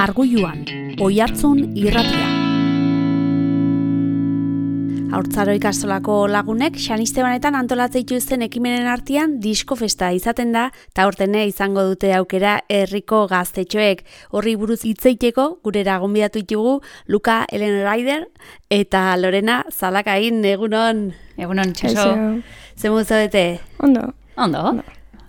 Arguiluan, Oiartzun irratia. Haurtzaro ikastolako lagunek Xanistebanetan antolatzen dituzten ekimenen artean disko festa izaten da, eta aurtene izango dute aukera herriko gaztetxoek. Horri buruz hitz egiteko gurera gonbidatu ditugu Luka Ellen Ryder eta Lorena Zalakain. Egunon. Egunon, Txeso. Zemu zaudete? Ondo.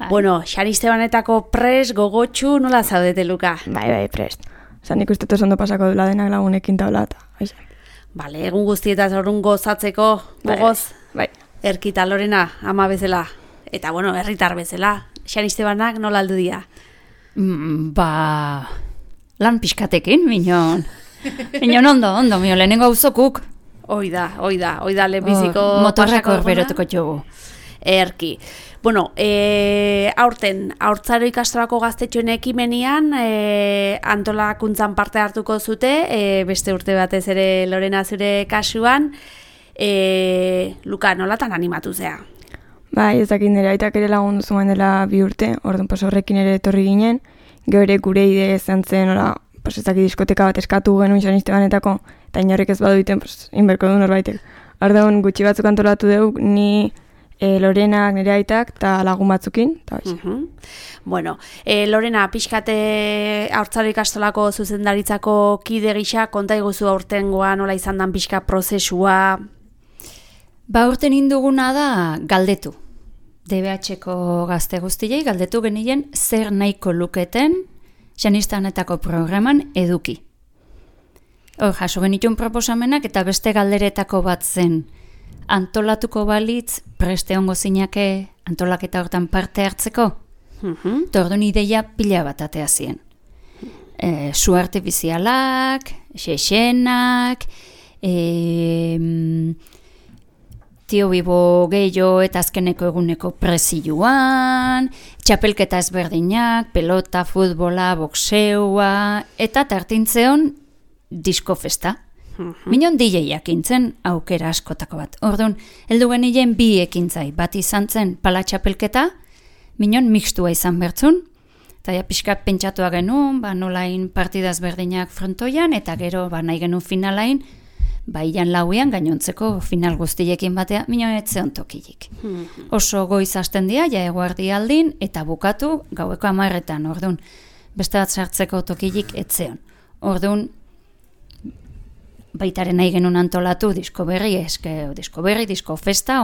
Bueno, Xanistebanetako prest, gogotxu, nola zaudete, Luka? Bai, prest. Nik uste ondo pasako dula denak lagunekin taula eta Bale, egun guztietaz orrun gozatzeko, gogoz, bai. Erkita Lorena, ama bezala, eta bueno, herritar bezala, Xanistebanak nola aldu dira? Lan pixkatekin, minon. Minon ondo, mio, lehenengo auzokuk. Oida, lehenbiziko motorrako beroteko txugu. Erki. Bueno, aurten, haurtzaro ikastolako gaztetxoen ekimenian antolakuntzan parte hartuko zute, beste urte batez ere Lorena zure kasuan, Luka, nolatan animatu zea? Bai, ez dakit nire aitak ere lagundu zuen dela 2 urte, orduan horrekin ere etorri ginen, gure ide izan zen, ez dakit diskoteka bat eskatu genuen Xanistebanetako, eta inorrek ez baduiten, inberko du norbaitek. Orduan gutxi batzuk antolatu dugu, ni Lorenak, nire aitak, eta lagun batzukin. Bueno, Lorena, pixkate haurtzaro ikastolako zuzendaritzako kide gisa, konta iguzu aurtengoa nola izan dan pixka prozesua? Aurten induguna da galdetu. DBH-ko gazte guztiei galdetu genien zer nahiko luketen Xanistebanetako programan eduki. Hor, jaso genitun proposamenak eta beste galderetako bat zen. Antolatuko balitz, preste ongo zinake antolaketa hortan parte hartzeko? Orduan ideia pila bat atea zien. Su artifizialak, xexenak, tio bibo gehiago eta azkeneko eguneko prezioan, txapelketa ezberdinak, pelota, futbola, boxeua, eta tartintzeon disko festa. Minon DJ-ak intzen aukera askotako bat. Orduan, heldu genien 2 ekintzai. Bat izan zen pala txapelketa, minon mixtua izan bertzun, eta pixkat pentsatua genuen, nolain partidaz berdinak frontoian, eta gero nahi genuen finalain, ian lauean gainontzeko final guztiekin batea, minon etzeon tokilik. Oso goiz hasten dira, eguerdi aldin, eta bukatu gaueko 10:00, orduan, beste bat sartzeko tokilik etzeon. Orduan, baitaren nahi genuen antolatu disko berri, disko festa,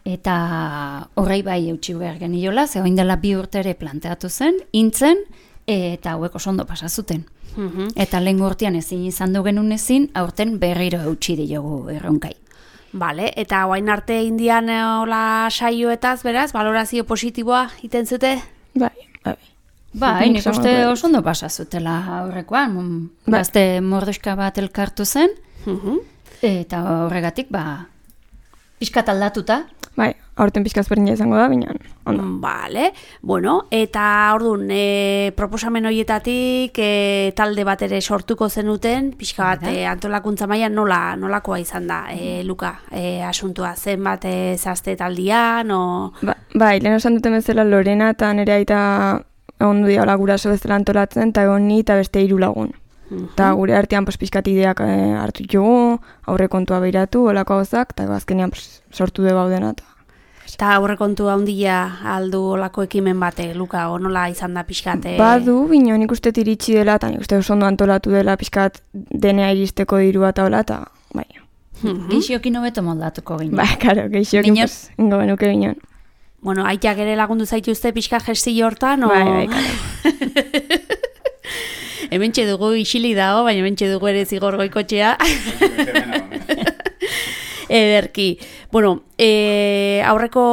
eta horrei bai eutxi behar geniola, ze oin dela 2 urte ere planteatu zen, intzen, eta hauek oso ondo pasazuten. Eta lehen urtean ezin izan du genuen ezin, aurten berriro eutxi diogu erronkai. Bale, eta oain arte indian hola saioetaz, beraz, valorazio positiboa iten zute? Bai. Nik uste oso ondo pasazutela aurrekoan. Gazte mordoska bat elkartu zen, eta horregatik, pixkat aldatuta. Bai, aurten pixkaz berdina izango da, baina ondo. Bale, bueno, eta orduan, proposamen horietatik talde bat ere sortuko zenuten, pixka bat antolakuntza mailan nolakoa izan da, Luka, asuntua, zenbat zazte taldian, Bai, lehen osan duten bezala Lorena eta nire aita ondu dira guraso bezala antolatzen, eta egon ni eta beste 3 lagun. Eta gure artean pixkat ideak hartu ditugu, aurrekontua behiratu, olako gauzak, eta azkenean sortu dugu gaudena. Eta aurrekontua handia aldu olako ekimen bate, Luka, nola izan da pixkat? Badu, bino, nik uste iritsi dela, eta nik uste oso ondo antolatu dela pixkat denea iristeko dirua eta hola, eta bai. Geixiokin hobeto moldatuko ginen. Bai, karo, geixiokin ingo benuke ginen. Bueno, aitak ere lagundu zaituzte pixka gestio hortan, Bai, karo. Hementxe dugu isilik dago, baina hementxe dugu ere zigor goikotxea. Ederki. Bueno, aurreko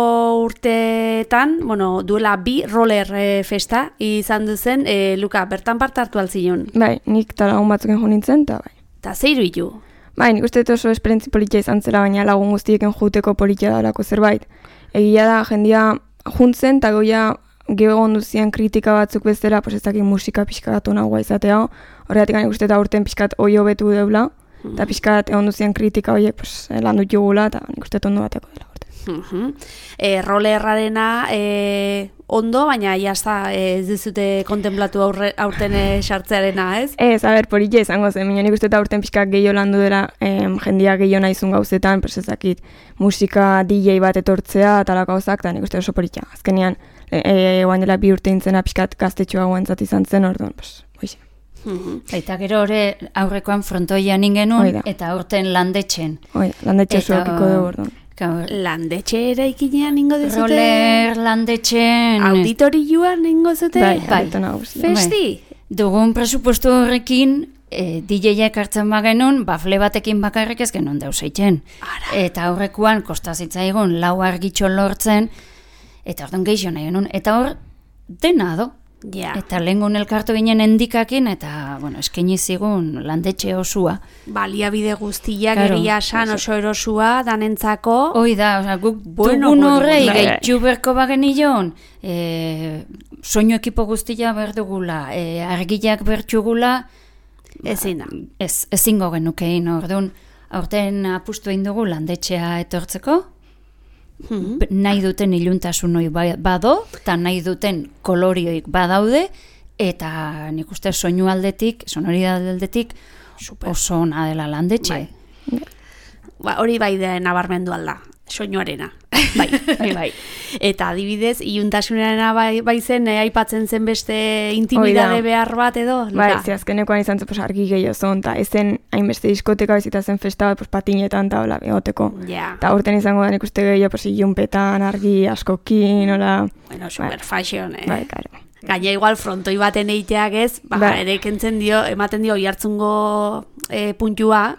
urteetan, duela 2 roller festa izan duzen, Luka, bertan parte hartu alzion? Bai, nik eta lagun batzuken jo nintzen, eta bai. Eta zeiru hitu? Bai, nik uste oso esperientzi politia izan zela, baina lagun guztieken juteko politia dalako zerbait. Egia da, jendia juntzen, eta geho onduzien kritika batzuk bezala, ez dakit musika pixka bat onagoa izatea, horregatik nik uste eta urten pixkat hoi hobetu deula, eta pixkat onduzien kritika horiek lan dut jugula, eta nik uste ondo bateko dela urte. Rollerrarena ondo, baina jazta ez dizute kontemplatu aurten sartzearena, ez? Ez, politxe izango zen, nik uste eta aurten pixkak gehiago landu dela, jendia gehiago nahizun gauzetan, ezakit, musika DJ bat etortzea, talako gauzak, eta nik uste oso politxa. Azkenean, guain dela 2 urte intzena pixkat gaztetxoa guentzat izan zen, orduan, hoxe. Eta gero hori aurrekoan frontoian ingenun, eta aurten landetxen. Landetxe zuakiko dugu, orduan. Landetxe eraikinean ingo dezute? Roller landetxen. Auditorioan ingo zute? Bai. Festi? Dugun presupuesto horrekin, DJ-ek hartzen bagenun, bafle batekin bakarrik ez genuen deuseitzen. Eta aurrekoan kostazitzaigun 4 argitxo lortzen, eta orduan gehiago nahi genuen. Eta hor, dena do. Ja. Eta lehengun elkartu ginen endikakin, eta, eskaini zigun landetxe osua. Baliabide guztiak egia esan oso erosua, danentzako. Hoi da, guk dugun horrei, gehitu berko bagen nion, soinu ekipo guztia berdugula, argiak bertxugula, ezingo genukein, orduan, aurten apustu egin dugu landetxea etortzeko, nahi duten iluntasun hori bado, eta nahi duten kolorioik badaude, eta nik uste soinu aldetik, sonoridade aldetik, oso ona dela landetxe. Hori bai da nabarmendu alda, soinuarena. Bai. Eta adibidez, iluntasunarena bai zen, aipatzen zen beste intimidade behar bat edo? Bai, azkenekoan izan zen argi gehiago zon, eta ezen hainbeste diskoteka bezita zen festa bat patinetan eta hola egoteko. Eta urten izango da nik uste gehiago ilunpetan, argi, askokin, hola. Bueno, super fashion, Bai, karo. Gaina igual frontoi baten egiteak ez, ere kentzen ematen dio oihartzungo puntua,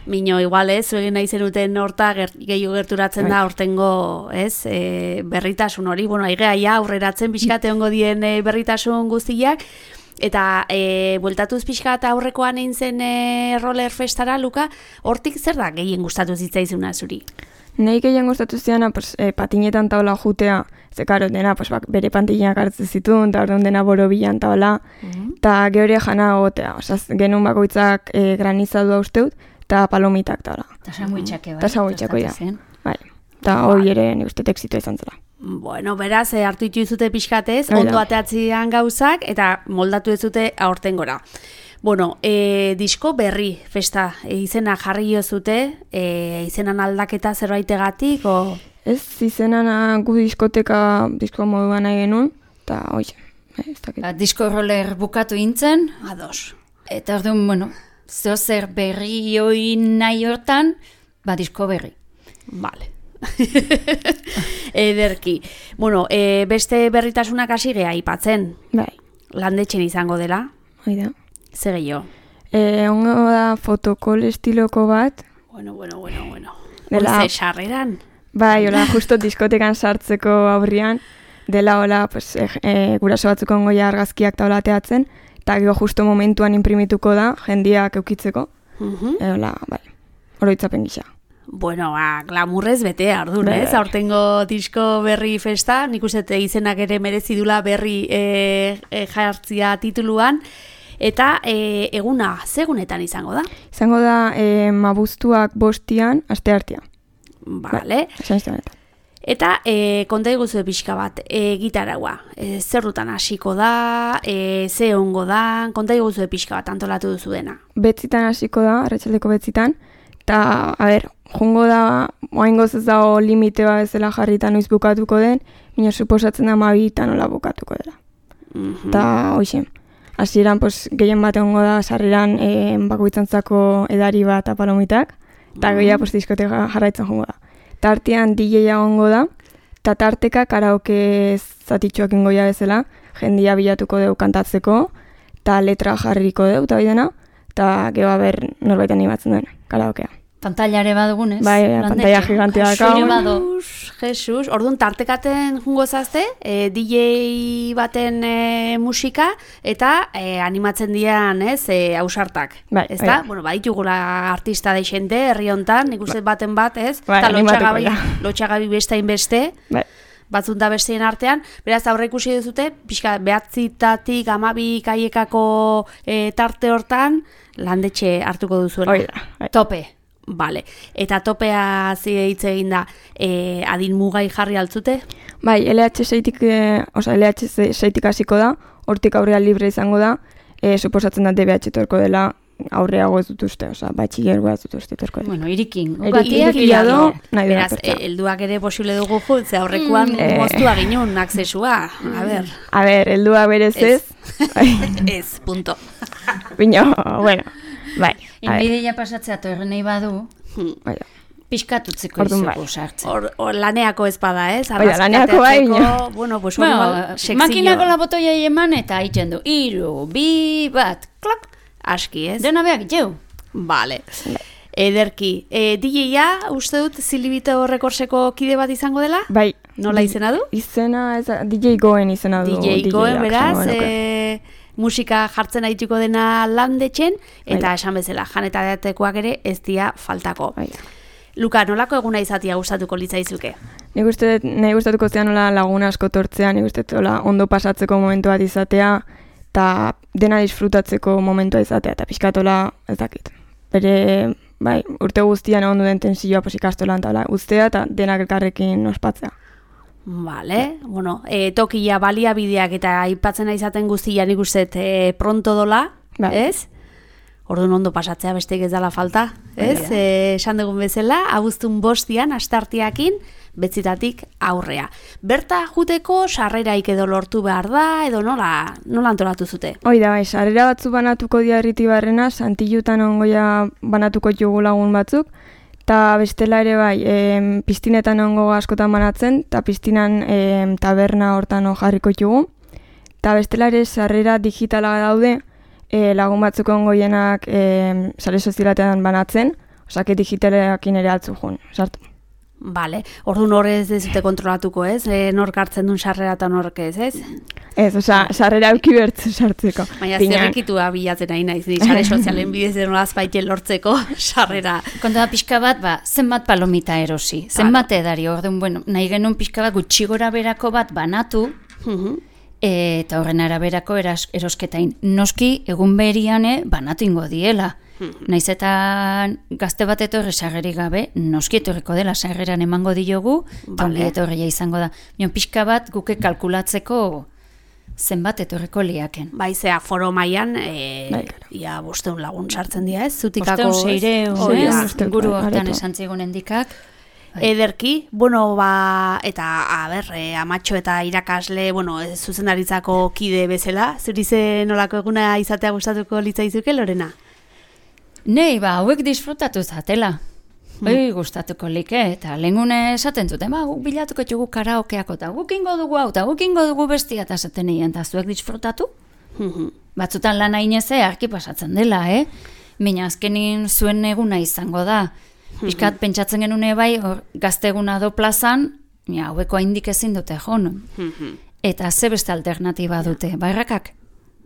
mino igual ez, egin nahi zenuten horta gehiago gerturatzen da hortengo berritasun hori, aigea aurreratzen pixkat egongo dien berritasun guztiak, eta bueltatuz pixkat aurrekoan egin zen roller festara, Luka, hortik zer da gehien gustatu zitzaizuna zuri? Nei gehien gustatu ziana, patinetan taola jutea, ze karo, dena bere pantinak hartzen zituen, eta orduan dena borobilan taola, eta gehoria jana gotea, genuen bakoitzak granizadua usteut, eta palomitak taola. Eta sanguitxake, bai? Eta sanguitxako, bai. Eta hori ere nik uste exitoa izan zela. Bueno, beraz, hartu dituzute pixkatez, ondo ateatzean gauzak, eta moldatu ez dute aurten gora. Bueno, disko berri festa izena jarri zute, izenan aldaketa zerbaitegatik, o? Ez, izenan gu disko moduan nahi genuen, eta hoi, ez dakit. Disko roller bukatu intzen. Ados. Eta orduan, zer berri hoi nahi hortan, disko berri. Vale. Ederki. Bueno, beste berritasunak hasi geha aipatzen. Bai. Landetxen izango dela. Hoi da. Zer gehiago? Ongo da fotokol estiloko bat. Bueno. Hoize sarreran? Bai, hola, justo diskotekan sartzeko aurrian, dela hola, guraso batzuk ongoia argazkiak taola teatzen, eta gero justo momentuan imprimituko da, jendiak eukitzeko. Hola, bai, oroitzapen gisa. Bueno, glamurrez bete ardun, ez? Aurtengo disko berri festa, nik uste izenak ere merezidula berri jartzia tituluan, eta eguna, zegunetan izango da? Izango da abuztuak 5 asteartea. Vale. Eta konta iguzu pixka bat, gitaraua, zer dutan hasiko da, ze ongo da, konta iguzu pixka bat antolatu duzu dena? Betzitan hasiko da, arratsaldeko betzitan, eta, jungo da, oaingoz ez dago limite bat ezela jarrita noiz bukatuko den, baina suposatzen da 12 nola bukatuko dela. Eta, hoxe, hasieran gehien bat egongo da sarreran bakoitzantzako edari bat apalomitak, eta gehiago diskoteka jarraitzen jongo da. Tartean DJ-a egongo da, eta tarteka karaoke zatitxoak ingoia bezala, jendia bilatuko deu kantatzeko, eta letra jarriko deu, eta bidena, eta gero norbait animatzen duen, karaokea. Pantailare badugunez? Bai, pantaila gigantea dakago. Jesus, orduan tartekaten jungo zazte, DJ baten musika, eta animatzen dian, ausartak. Bai, ez da? Bueno, ditugula artista deixente, herri hontan, nik uste baten bat, ez? Bai, lotxagabi bestain beste. Bai. Batzun da besteen artean, beraz aurre ikusi duzute, pixka 9 12 kaiekako tarte hortan, landetxe hartuko duzuela. Hoi da. Tope. Bale. Eta topea hitz egin da, adin mugai jarri altzute? Bai, LH6-tik hasiko da, hortik aurrea libre izango da, suposatzen da DBH torko dela, aurreago ez dut uste, batxilergoa ez dut uste torko dela. Bueno, irikin. Irikia do, nahi dela beraz, helduak ere posible dugu ze aurrekoan moztua ginun aksesua. A ber, heldua berez ez. Ez, punto. Bino, bueno, bai. Inbideia pasatzea torren nahi badu, pixkatutzeko izugu sartzen. Laneako ez bada, ez? Laneako bai. Bueno, pues makinako labotoia eman eta haitzen du. 3, 2, 1, klak. Aski, ez? Dena behar, jau. Bale. Ederki. DJ-a, uste dut, Zilibito Rekordseko kide bat izango dela? Bai. Nola izena du? Izena, DJ Goen izena du. DJ Goen, beraz, musika jartzen aituko dena landetxen, eta esan bezala, jan eta datekoak ere ez dia faltako. Luka, nolako eguna izatea gustatuko litzaizuke? Nik uste nahi gustatuko zean nola lagun asko tortzea, nik uste ondo pasatzeko momentua izatea, eta dena disfrutatzeko momentua izatea, eta pixkatola ez dakit. Bere, bai, urte guztian ondo den tensioa ikastolan eta ustea, eta denak elkarrekin ospatzea. Vale, bueno, tokia baliabideak eta aipatzen izaten guztia nik uste pronto dola, ez? Orduan ondo pasatzea besteik ez dela falta, ez? Esan dugun bezala, abuztun 5 astarteakin, betzitatik aurrea. Berta juteko sarreraik edo lortu behar da, edo nola antolatu zute? Hoi da, bai, sarrera batzu banatuko dia Irritibarrena, Santillutan ongoia banatuko jogu lagun batzuk, eta bestela ere bai, piztinetan ongo askotan banatzen, eta piztinan taberna hortan jarriko jogu, eta bestela ere sarrera digitala daude, lagun batzuk ongoienak sare sozialatean banatzen, osake digitaleakin ere altzu jun, sartu. Bale, orduan horrez dezute kontrolatuko, ez? Nork hartzen duen sarrera eta nork ez, ez? Ez, sarrera auki bertzen sartzeko. Baina zerrekitua bilatzen nahi naiz, sare sozialen bidez denolaz baite lortzeko sarrera. Konta da pixka bat, zenbat palomita erosi, zenbat edari, orduan, bueno, nahi genuen pixka bat gutxi gora berako bat banatu, eta horren araberako erosketain. Noski, egun beriane banatu ingo diela. Naiz eta gazte bat etorri sarrerik gabe, noski etorriko dela sarreran emango diogu, eta ongi etorria izango da. Mion pixka bat guke kalkulatzeko zenbat etorriko liaken. Bai, zea foro mailan, ia 500 lagun sartzen dira, ez? Zutikako 600, guru hortan esan zigunen dikak. Ederki, bueno, eta, amatxo eta irakasle, zuzendaritzako kide bezala, zuri ze nolako eguna izatea gustatuko litzaizuke, Lorena? Nei, hauek disfrutatu zatela. Gustatuko like, eta lehengune esaten zuten, guk bilatuko txugu karaokeako, eta guk ingo dugu hau, eta guk ingo dugu bestia, eta zaten egin, eta zuek disfrutatu? Batzutan lan haineze, arki pasatzen dela, Baina azkenin zuen eguna izango da. Piskat pentsatzen genune bai, gazte eguna do plazan, haueko haindik ezin dute jon. Eta ze beste alternatiba dute, bairrakak?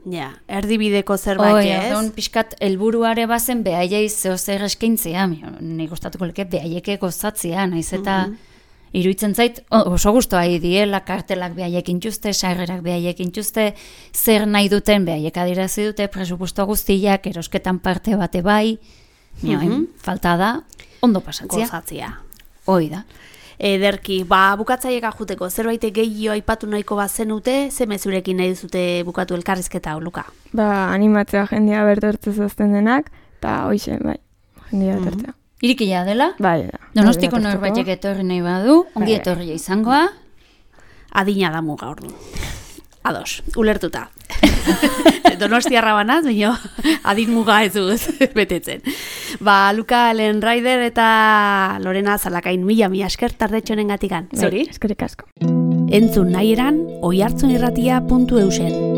Ja, erdibideko zerbait, ez? Piskat helburuare bazen behaiei zeo zer eskaintzea, nik gustatuko leke behaieke gozatzea, naiz eta iruditzen zait, oso gustoa diela, kartelak behaiekin txuste, sarrerak behaiekin txuste, zer nahi duten behaiek adirazi dute, presupuesto guztiak, erosketan parte bate bai, falta da, ondo pasatzea. Gozatzea. Hoi da. Ederki, bukatzaieka juteko, zerbait gehiago aipatu nahiko bazenute, ze mezurekin nahi duzute bukatu elkarrizketa, Luka? Animatzea jendea bertortzez azten denak, eta hoxe, jendea bertortzea. Irikila dela? Bai, da. Donostiko norbaitek etorri nahi badu, ongi etorria izangoa. Adina da muga ordu. Ados, ulertuta. Donostiarra banaz, baina adin muga ez duz betetzen. Luka Lenraider eta Lorena Zalakain mila esker tardetxonen gatikan. Zori? Eskerrik asko. Entzun nahi eran, oihartzunirratia.eusen.